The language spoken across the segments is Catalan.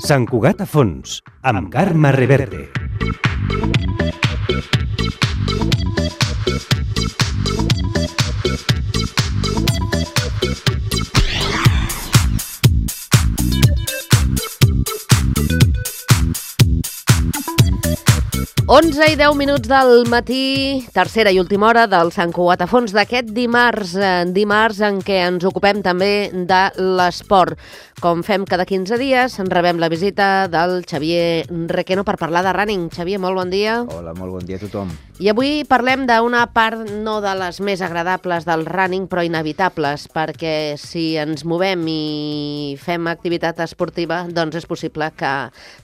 Sant Cugat a fons, amb Carme Reverte. Onze i 10 minuts del matí, tercera i última hora del Sant Cugat a fons d'aquest dimarts en què ens ocupem també de l'esport. Com fem cada 15 dies, rebem la visita del Xavier Requeno per parlar de running. Xavier, molt bon dia. Hola, molt bon dia a tothom. I avui parlem d'una part no de les més agradables del running, però inevitables, perquè si ens movem i fem activitat esportiva, doncs és possible que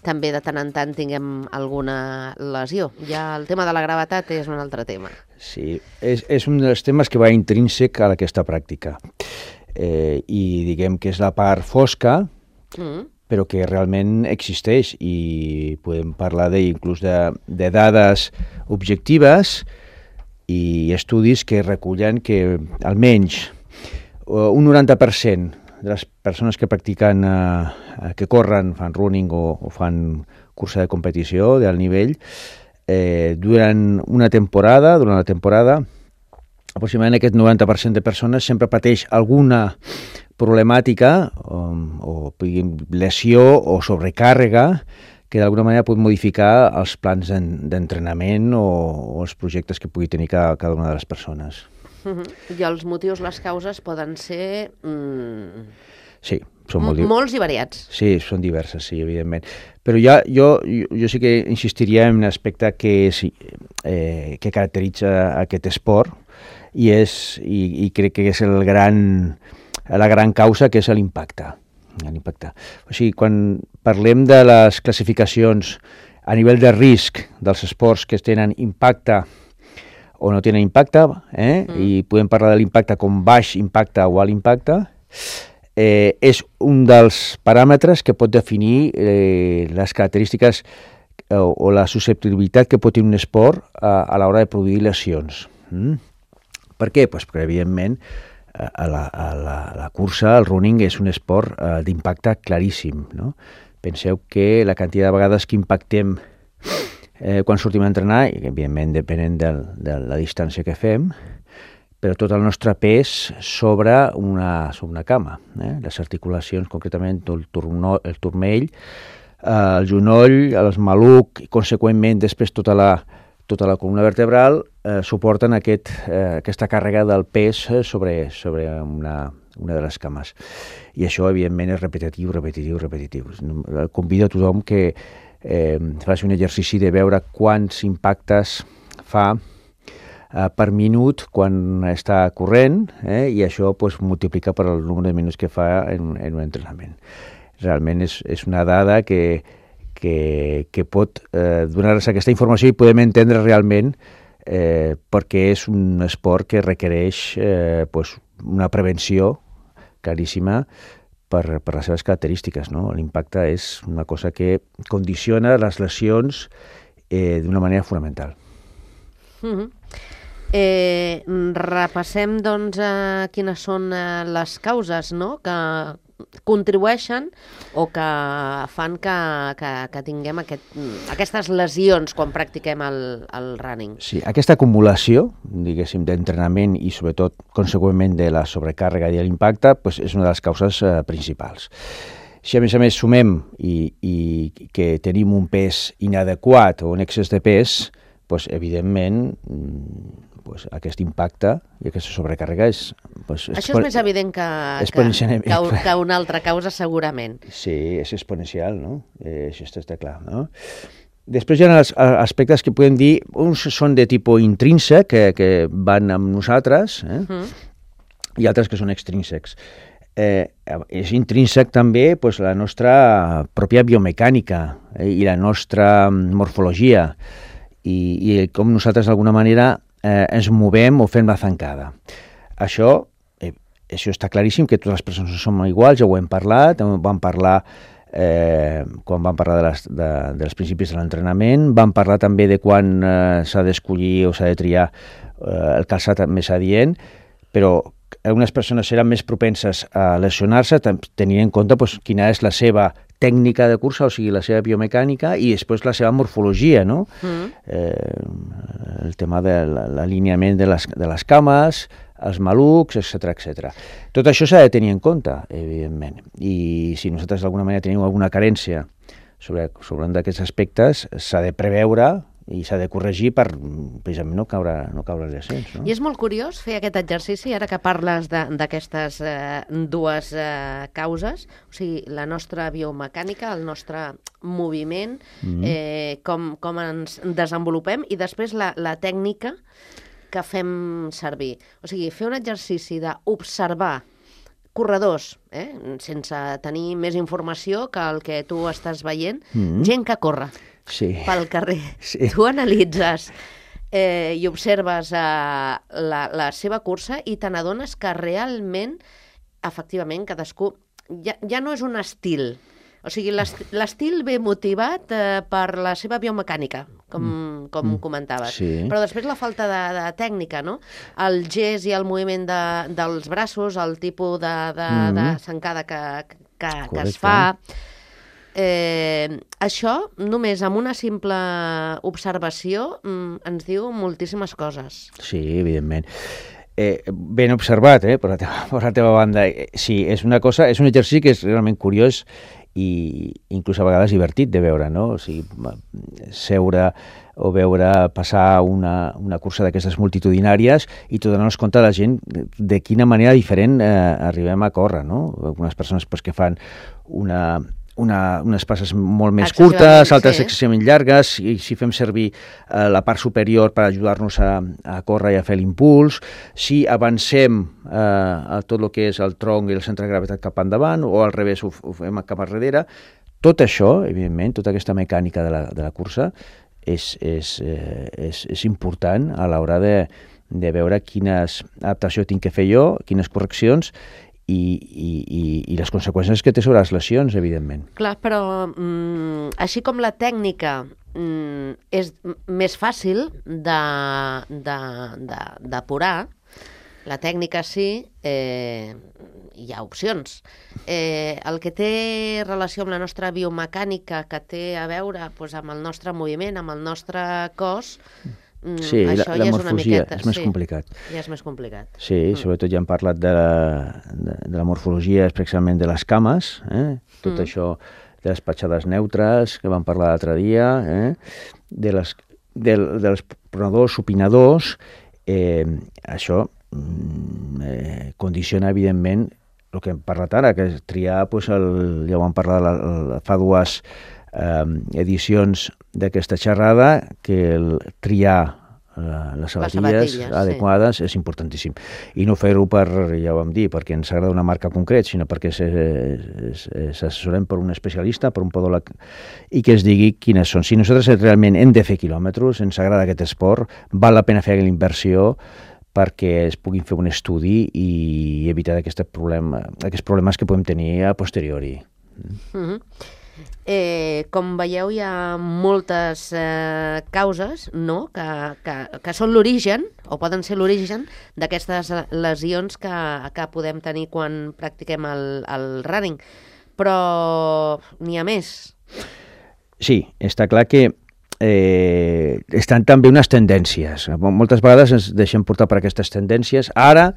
també de tant en tant tinguem alguna lesió. Ja el tema de la gravetat és un altre tema. Sí, és un dels temes que va intrínsec a aquesta pràctica. I diguem que és la part fosca, però que realment existeix i podem parlar inclús de dades objectives i estudis que recullen que almenys un 90% de les persones que practiquen, que corren, fan running o fan cursa de competició d'alt nivell, durant la temporada, aproximadament aquest 90% de persones sempre pateix alguna problemàtica o lesió o sobrecàrrega que d'alguna manera pot modificar els plans d'entrenament o els projectes que pugui tenir cada una de les persones. I els motius, les causes poden ser... Sí, són molts i variats. Sí, són diverses, sí, evidentment. Però jo sí que insistiria en un aspecte que caracteritza aquest esport i crec que és la gran causa, que és l'impacte. O sigui, quan parlem de les classificacions a nivell de risc dels esports que tenen impacte o no tenen impacte, i podem parlar de l'impacte com baix impacte o alt impacte, és un dels paràmetres que pot definir les característiques o la susceptibilitat que pot tenir un esport a l'hora de produir lesions. Per què? Pues perquè, evidentment, la cursa, el running, és un esport d'impacte claríssim, no? Penseu que la quantitat de vegades que impactem quan sortim a entrenar, i evidentment depenent de la distància que fem, però tot el nostre pes sobre una cama. Les articulacions, concretament el turmell, el genoll, el maluc, i conseqüentment després tota la columna vertebral suporten aquesta càrrega del pes sobre una de les cames. I això, evidentment, és repetitiu. Convido a tothom que faci un exercici de veure quants impactes fa per minut quan està corrent, i això multiplica per el nombre de minuts que fa en un entrenament. Realment és una dada que pot donar-nos aquesta informació i podem entendre realment perquè és un esport que requereix una prevenció claríssima per les seves característiques, no? L'impacte és una cosa que condiciona les lesions d'una manera fonamental. Repassem, doncs, quines són les causes, no?, que contribueixen o que fan que tinguem aquestes lesions quan practiquem el running. Sí, aquesta acumulació, diguéssim, d'entrenament i sobretot conseqüentment de la sobrecàrrega i l'impacte és una de les causes principals. Si a més sumem i que tenim un pes inadequat o un excés de pes, evidentment aquest impacte i aquesta sobrecàrrega és... Això és més evident que una altra causa, segurament. Sí, és exponencial, no? Això està clar, no? Després hi ha els aspectes que podem dir, uns són de tipus intrínsec, que van amb nosaltres, i altres que són extrínsecs. És intrínsec també la nostra pròpia biomecànica i la nostra morfologia i com nosaltres d'alguna manera ens movem o fem la zancada. Això està claríssim, que totes les persones no som iguals, ja ho hem parlat, vam parlar quan vam parlar dels principis de l'entrenament, vam parlar també de quan s'ha d'escollir o s'ha de triar el calçat més adient, però algunes persones seran més propenses a lesionar-se, tenint en compte pues, quina és la seva tècnica de cursa, o sigui, la seva biomecànica i després la seva morfologia, no? El tema de l'alineament de les cames, els malucs, etc. Tot això s'ha de tenir en compte, evidentment. I si nosaltres d'alguna manera tenim alguna carència sobre un d'aquests aspectes, s'ha de preveure i s'ha de corregir per, precisament, no caure en lesions. No? I és molt curiós fer aquest exercici, ara que parles d'aquestes dues causes, o sigui, la nostra biomecànica, el nostre moviment, com ens desenvolupem, i després la tècnica que fem servir. O sigui, fer un exercici d'observar corredors, sense tenir més informació que el que tu estàs veient, gent que corre pel carrer. Sí. Tu analitzes i observes la seva cursa i te n'adones que realment, efectivament, cadascú... Ja no és un estil. O sigui, l'estil ve motivat per la seva biomecànica, com comentaves. Sí. Però després la falta de tècnica, no? El gest i el moviment dels braços, el tipus de zancada que es fa... això, només amb una simple observació, ens diu moltíssimes coses. Sí, evidentment. Ben observat, per la teva banda. Sí, és un exercici que és realment curiós i inclús a vegades divertit de veure, no? O sigui, seure o veure passar una cursa d'aquestes multitudinàries i tu donar-nos compte de la gent de quina manera diferent arribem a córrer, no? Algunes persones que fan unes passes molt més curtes, altres excessivament llargues, i si fem servir la part superior per ajudar-nos a córrer i a fer l'impuls, si avancem a tot el que és el tronc i el centre de gravetat cap endavant, o al revés ho fem cap darrere, tot això, evidentment, tota aquesta mecànica de la cursa és important a l'hora de veure quines adaptació tinc que fer jo, quines correccions, i les conseqüències que té sobre les lesions, evidentment. Clar, però així com la tècnica és més fàcil d'apurar, la tècnica sí, hi ha opcions. El que té relació amb la nostra biomecànica, que té a veure amb el nostre moviment, amb el nostre cos... Sí, la morfologia és més complicat. Ja és més complicat. Sí, sobretot ja hem parlat de la morfologia, especialment de les cames, tot això de les petjades neutres, que vam parlar l'altre dia, dels pronadors, supinadors, això condiciona, evidentment, el que hem parlat ara, que és triar, ja ho vam parlar fa dues edicions d'aquesta xerrada, que triar les sabatilles adequades és importantíssim. I no fer-ho ja ho vam dir, perquè ens agrada una marca concret, sinó perquè s'assessorem per un especialista, per un podòleg, i que es digui quines són. Si nosaltres realment hem de fer quilòmetres, ens agrada aquest esport, val la pena fer l'inversió perquè es puguin fer un estudi i evitar aquests problemes que podem tenir a posteriori. Com veieu, hi ha moltes causes, no?, que són l'origen, o poden ser l'origen, d'aquestes lesions que podem tenir quan practiquem el running. Però n'hi ha més. Sí, està clar que estan també unes tendències. Moltes vegades ens deixem portar per aquestes tendències. Ara,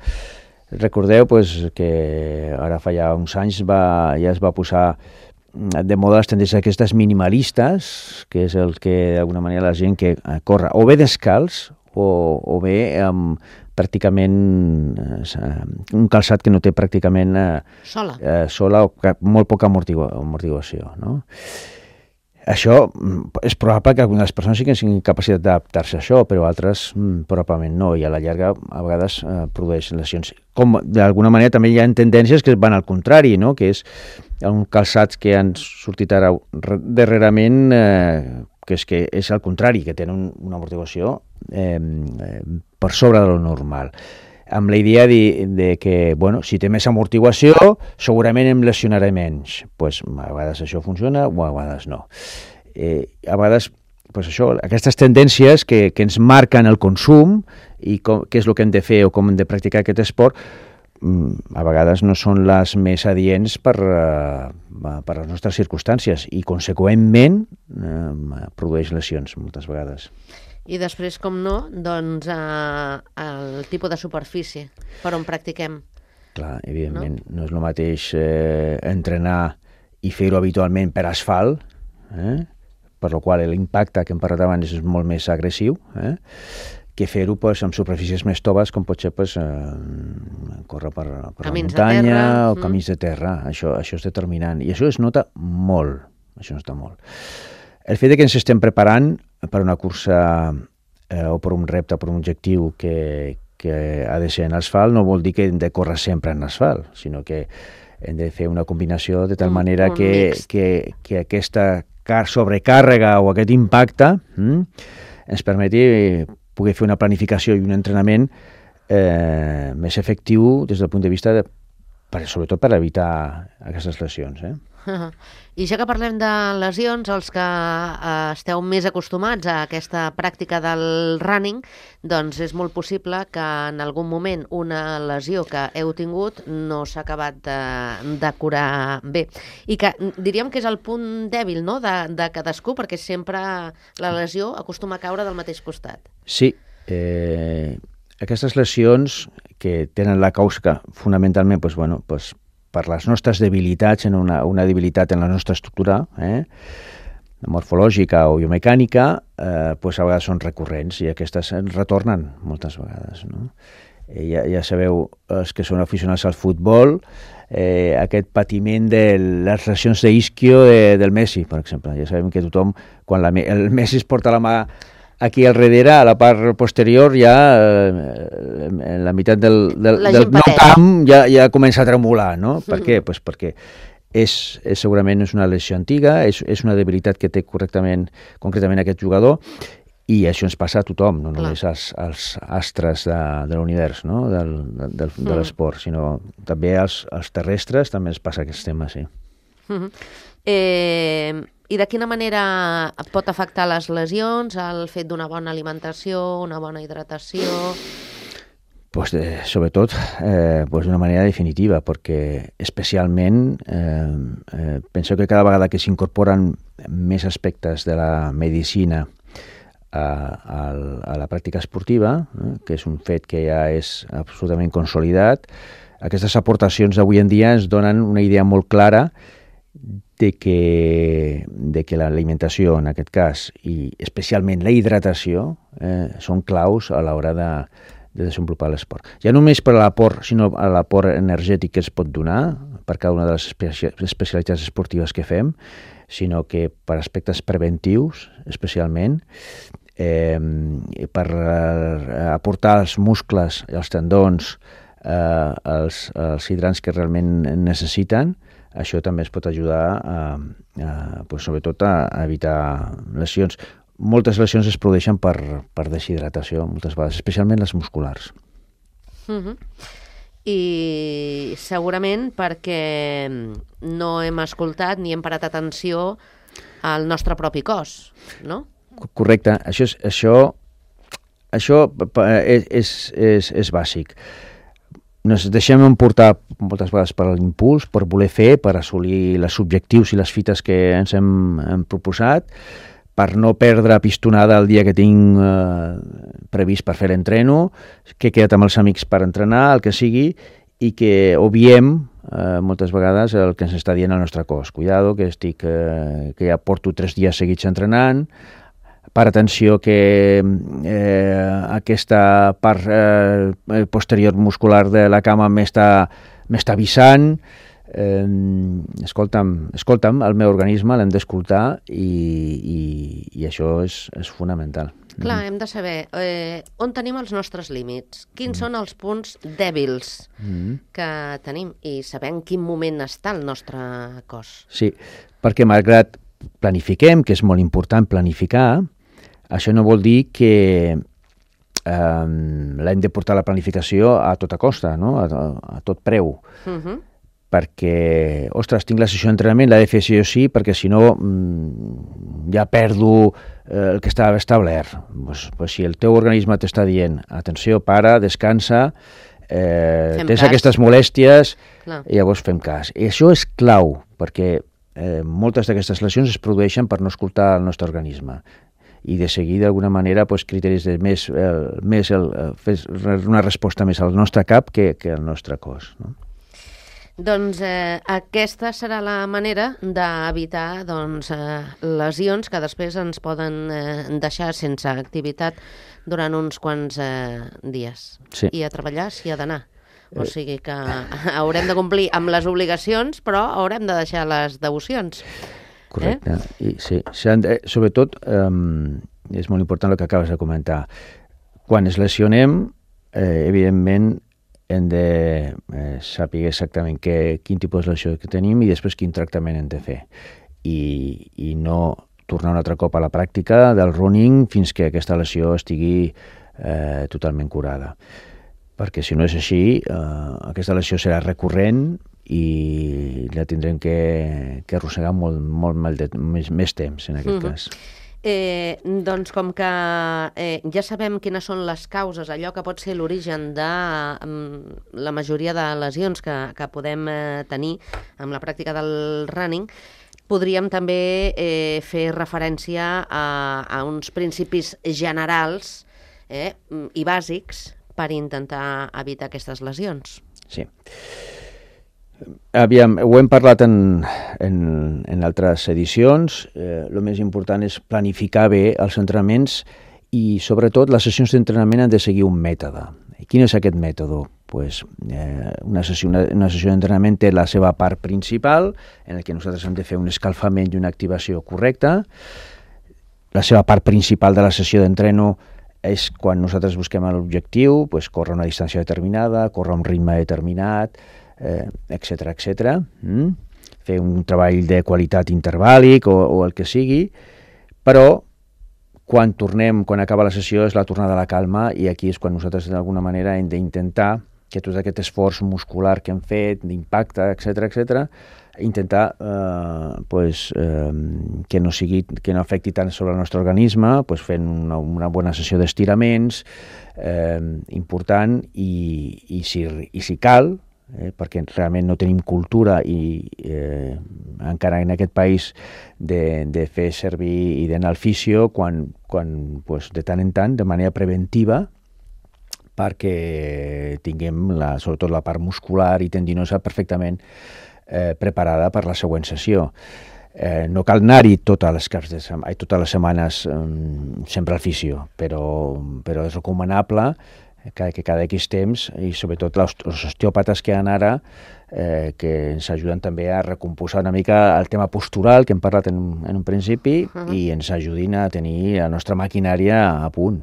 recordeu que ara fa ja uns anys ja es va posar de moda les tendències aquestes minimalistes, que és el que d'alguna manera la gent que corre o bé descalç o bé amb pràcticament un calçat que no té pràcticament sola o molt poca amortiguació, no? Això és probable que algunes persones sí que tinguin capacitat d'adaptar-se a això, però altres probablement no, i a la llarga a vegades produeix lesions. Com d'alguna manera també hi ha tendències que van al contrari, no?, que és un calçat que han sortit ara darrerament, que és al contrari, que tenen una amortiguació per sobre de lo normal, amb la idea de que, si té més amortiguació, segurament em lesionaré menys. A vegades això funciona o a vegades no. A vegades, aquestes tendències que ens marquen el consum i què és el que hem de fer o com hem de practicar aquest esport, a vegades no són les més adients per les nostres circumstàncies i, conseqüentment, produeix lesions moltes vegades. I després, com no, doncs el tipus de superfície per on practiquem. Clar, evidentment, no és el mateix entrenar i fer-ho habitualment per asfalt, per la qual l'impacte que hem parlat abans és molt més agressiu, que fer-ho amb superfícies més toves, com pot ser córrer per la muntanya o camins de terra. Això és determinant. I això es nota molt. El fet que ens estem preparant per una cursa o per un repte, per un objectiu que ha de ser en asfalt, no vol dir que hem de córrer sempre en asfalt, sinó que hem de fer una combinació de tal manera que aquesta sobrecàrrega o aquest impacte ens permeti poder fer una planificació i un entrenament més efectiu des del punt de vista sobretot per evitar aquestes lesions. I ja que parlem de lesions, els que esteu més acostumats a aquesta pràctica del running, doncs és molt possible que en algun moment una lesió que heu tingut no s'ha acabat de curar bé. I que diríem que és el punt dèbil, no?, de cadascú, perquè sempre la lesió acostuma a caure del mateix costat. Sí. Aquestes lesions que tenen la causa fonamentalment per les nostres debilitats, una debilitat en la nostra estructura morfològica o biomecànica, a vegades són recurrents i aquestes retornen moltes vegades. Ja sabeu, els que són aficionats al futbol, aquest patiment de les lesions d'isquio del Messi, per exemple. Ja sabem que tothom, quan el Messi es porta la mà aquí al darrere, a la part posterior, ja en la meitat del no camp ja comença a tremolar, no? Per què? Perquè segurament és una lesió antiga, és una debilitat que té concretament aquest jugador, i això ens passa a tothom, no només als astres de l'univers, no? de l'esport, sinó també als terrestres també ens passa aquest tema, sí. I de quina manera pot afectar les lesions, el fet d'una bona alimentació, una bona hidratació? Sobretot d'una manera definitiva, perquè especialment penso que cada vegada que s'incorporen més aspectes de la medicina a la pràctica esportiva, que és un fet que ja és absolutament consolidat, aquestes aportacions d'avui en dia ens donen una idea molt clara de que l'alimentació, en aquest cas, i especialment la hidratació, són claus a l'hora de desenvolupar l'esport. Ja només per l'aport, sinó a l'aport energètic que es pot donar per cada una de les especialitats esportives que fem, sinó que per aspectes preventius, especialment, per aportar als muscles i als tendons els hidrats que realment necessiten. Això també es pot ajudar sobretot a evitar lesions. Moltes lesions es produeixen per deshidratació, moltes vegades, especialment les musculars. I segurament perquè no hem escoltat ni hem parat atenció al nostre propi cos, no? Correcte. Això és bàsic. Ens deixem emportar moltes vegades per l'impuls, per voler fer, per assolir els objectius i les fites que ens hem proposat, per no perdre pistonada el dia que tinc previst per fer l'entreno, que he quedat amb els amics per entrenar, el que sigui, i que obviem moltes vegades el que ens està dient el nostre cos. Cuidado, que ja porto 3 dies seguits entrenant, per atenció que aquesta part posterior muscular de la cama m'està avisant. Escolta'm, el meu organisme l'hem d'escoltar i això és fonamental. Clar, hem de saber on tenim els nostres límits, quins són els punts dèbils que tenim i saber en quin moment està el nostre cos. Sí, perquè malgrat planifiquem, que és molt important planificar, això no vol dir que l'hem de portar la planificació a tota costa, no? A tot preu. Perquè, ostres, tinc la sessió d'entrenament, l'he de fer sí o sí, perquè si no ja perdo el que estava establert. Si el teu organisme t'està dient, atenció, para, descansa, tens aquestes molèsties, i llavors fem cas. I això és clau, perquè moltes d'aquestes lesions es produeixen per no escoltar el nostre organisme i de seguir d'alguna manera criteris de una resposta més al nostre cap que al nostre cos, no? Doncs aquesta serà la manera d'evitar lesions que després ens poden deixar sense activitat durant uns quants dies. Sí. I a treballar s'hi ha d'anar. O sigui que haurem de complir amb les obligacions, però haurem de deixar les devocions. Correcte. I sí, sobretot, és molt important el que acabes de comentar. Quan es lesionem, evidentment, hem de saber exactament quin tipus de lesió que tenim i després quin tractament hem de fer. I no tornar un altre cop a la pràctica del running fins que aquesta lesió estigui totalment curada. Perquè si no és així, aquesta lesió serà recurrent i la tindrem que arrossegar molt més temps, en aquest cas. Doncs com que ja sabem quines són les causes, allò que pot ser l'origen de la majoria de lesions que podem tenir amb la pràctica del running, podríem també fer referència a uns principis generals i bàsics per intentar evitar aquestes lesions. Sí. Aviam, ho hem parlat en altres edicions. El més important és planificar bé els entrenaments i, sobretot, les sessions d'entrenament han de seguir un mètode. I quin és aquest mètode? Pues, una sessió d'entrenament té la seva part principal, en la que nosaltres hem de fer un escalfament i una activació correcta. La seva part principal de la sessió d'entreno és quan nosaltres busquem l'objectiu, pues, córrer una distància determinada, córrer un ritme determinat, etcètera, etcètera. Fer un treball de qualitat intervàl·lic o el que sigui, però quan acaba la sessió és la tornada a la calma i aquí és quan nosaltres d'alguna manera hem d'intentar que tot aquest esforç muscular que hem fet, d'impacte, etcètera, intentar que no afecti tant sobre el nostre organisme, fent una bona sessió d'estiraments important i si cal, perquè realment no tenim cultura i encara en aquest país de fer servir i d'anar al fisio quan de tant en tant, de manera preventiva, perquè tinguem sobretot la part muscular i tendinosa perfectament preparada per la següent sessió. No cal anar-hi totes les setmanes sempre al fisio, però és recomanable que cada X temps, i sobretot els osteòpates que hi ha ara, que ens ajuden també a recompondre una mica el tema postural que hem parlat en un principi i ens ajudin a tenir la nostra maquinària a punt.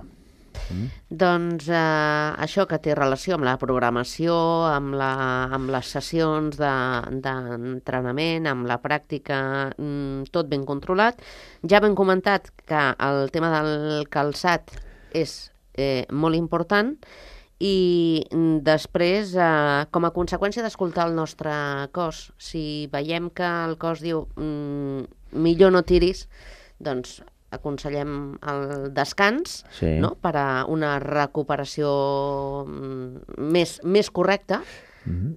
Doncs això que té relació amb la programació, amb les sessions d'entrenament, amb la pràctica, tot ben controlat. Ja hem comentat que el tema del calçat és molt important i després, com a conseqüència d'escoltar el nostre cos, si veiem que el cos diu millor no tiris, doncs aconsellem el descans, sí, no? Per a una recuperació més correcta,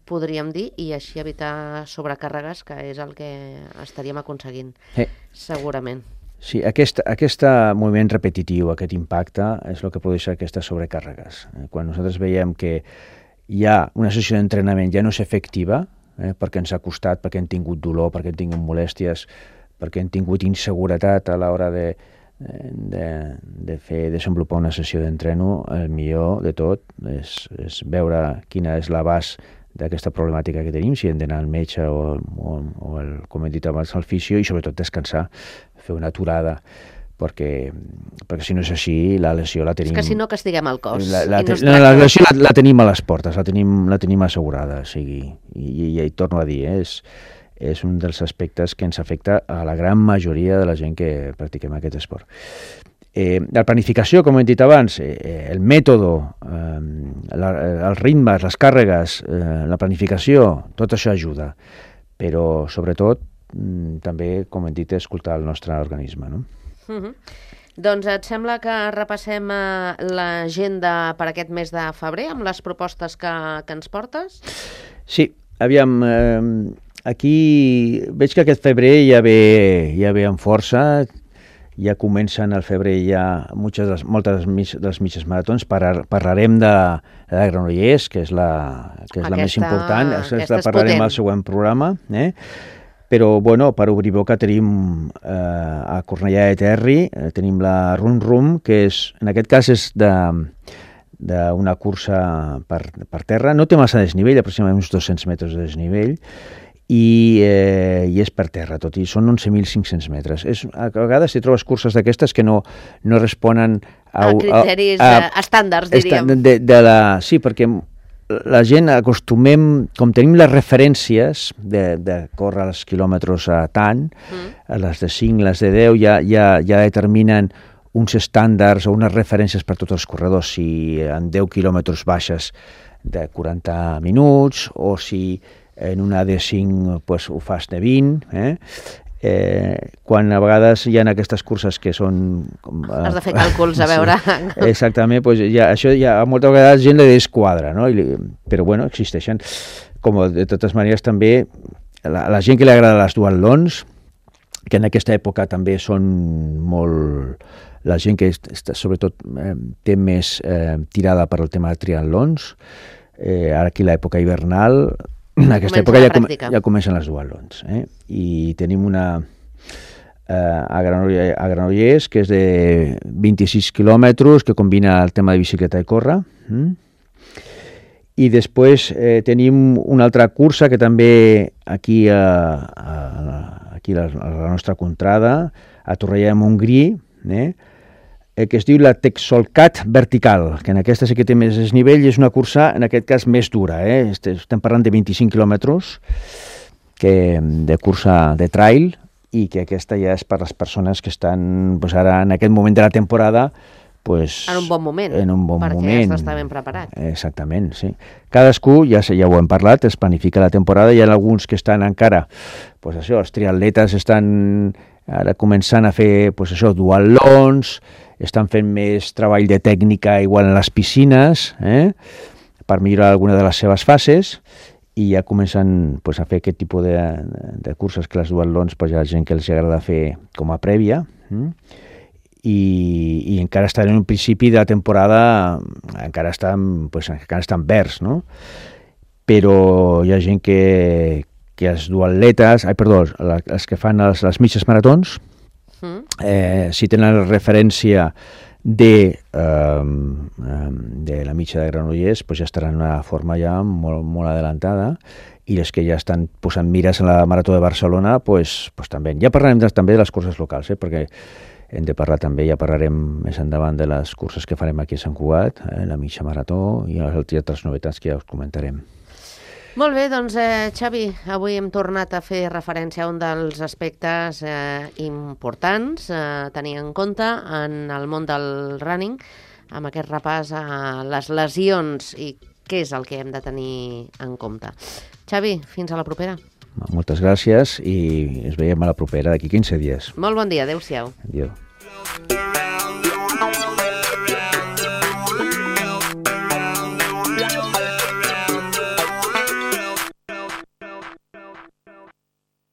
podríem dir, i així evitar sobrecàrregues, que és el que estaríem aconseguint, segurament. Sí, aquest moviment repetitiu, aquest impacte, és el que produeix aquestes sobrecàrregues. Quan nosaltres veiem que hi ha una sessió d'entrenament ja no és efectiva, perquè ens ha costat, perquè hem tingut dolor, perquè hem tingut molèsties, perquè hem tingut inseguretat a l'hora de desenvolupar una sessió d'entreno, el millor de tot és veure quina és l'abast d'aquesta problemàtica que tenim, si hem d'anar al metge o com hem dit abans, al fisio, i sobretot descansar, fer una aturada, perquè si no és així, la lesió la tenim... És que si no castiguem el cos. La lesió la tenim a les portes, la tenim assegurada, i torno a dir, és un dels aspectes que ens afecta a la gran majoria de la gent que practiquem aquest esport. La planificació, com hem dit abans, el mètode, els ritmes, les càrregues, la planificació, tot això ajuda, però sobretot també, com hem dit, escoltar el nostre organisme, no? Doncs et sembla que repassem l'agenda per aquest mes de febrer amb les propostes que ens portes? Sí, aviam, aquí veig que aquest febrer ja ve amb força, ja comencen al febrer ja moltes de les mitges maratons. Parlarem de Granollers, que és la més important, aquesta parlarem al següent programa, Però, bueno, per obrir boca tenim a Cornellà de Terri, tenim la Rum Rum, que en aquest cas és d'una cursa per terra. No té massa desnivell, aproximadament uns 200 metres de desnivell, i és per terra, tot i són 11.500 metres. A vegades hi trobes curses d'aquestes que no responen a criteris estàndards, diríem. Sí, perquè la gent acostumem, com tenim les referències de córrer els quilòmetres a tant, les de 5, les de 10, ja determinen uns estàndards o unes referències per tots els corredors, si en 10 quilòmetres baixes de 40 minuts o si en una de 5 pues, ho fas de 20, quan a vegades hi ha aquestes curses que són... Has de fer càlculs, a veure... Sí, exactament, pues això ja a moltes vegades gent li desquadra, no? Però bueno, existeixen. Com de totes maneres també, la gent que li agrada les duatlons, que en aquesta època també són molt... La gent que sobretot té més tirada per al tema de triatlons, ara aquí l'època hivernal... En aquesta època ja comencen les duatlons. I tenim una a Granollers, que és de 26 quilòmetres, que combina el tema de bicicleta i córrer. I després tenim una altra cursa que també aquí a la nostra contrada, a Torrellà de Montgrí, que es diu la Texolcat Vertical, que en aquesta sí que té més desnivell i és una cursa, en aquest cas, més dura. Estem parlant de 25 quilòmetres de cursa de trail i que aquesta ja és per les persones que estan ara en aquest moment de la temporada en un bon moment, perquè has d'estar ben preparat. Exactament, sí. Cadascú, ja ho hem parlat, es planifica la temporada, hi ha alguns que estan encara, els triatletes estan ara començant a fer duatlons, estan fent més treball de tècnica igual en les piscines, per millorar alguna de les seves fases, i ja comencen a fer aquest tipus de curses que les duatlons hi ha gent que els agrada fer com a prèvia, i encara estan en un principi de la temporada, encara estan verds, no? Però hi ha gent que els duatletes, els que fan les mitges maratons, si tenen la referència de la mitja de Granollers, ja estaran en una forma ja molt, molt adelantada, i les que ja estan posant mires en la Marató de Barcelona, també. Ja parlarem també de les curses locals, perquè hem de parlar també, ja parlarem més endavant de les curses que farem aquí a Sant Cugat, la mitja marató i les altres novetats que ja us comentarem. Molt bé, doncs Xavi, avui hem tornat a fer referència a un dels aspectes importants a tenir en compte en el món del running, amb aquest repàs a les lesions i què és el que hem de tenir en compte. Xavi, fins a la propera. Moltes gràcies i ens veiem a la propera d'aquí 15 dies. Molt bon dia, adéu-siau. Adéu.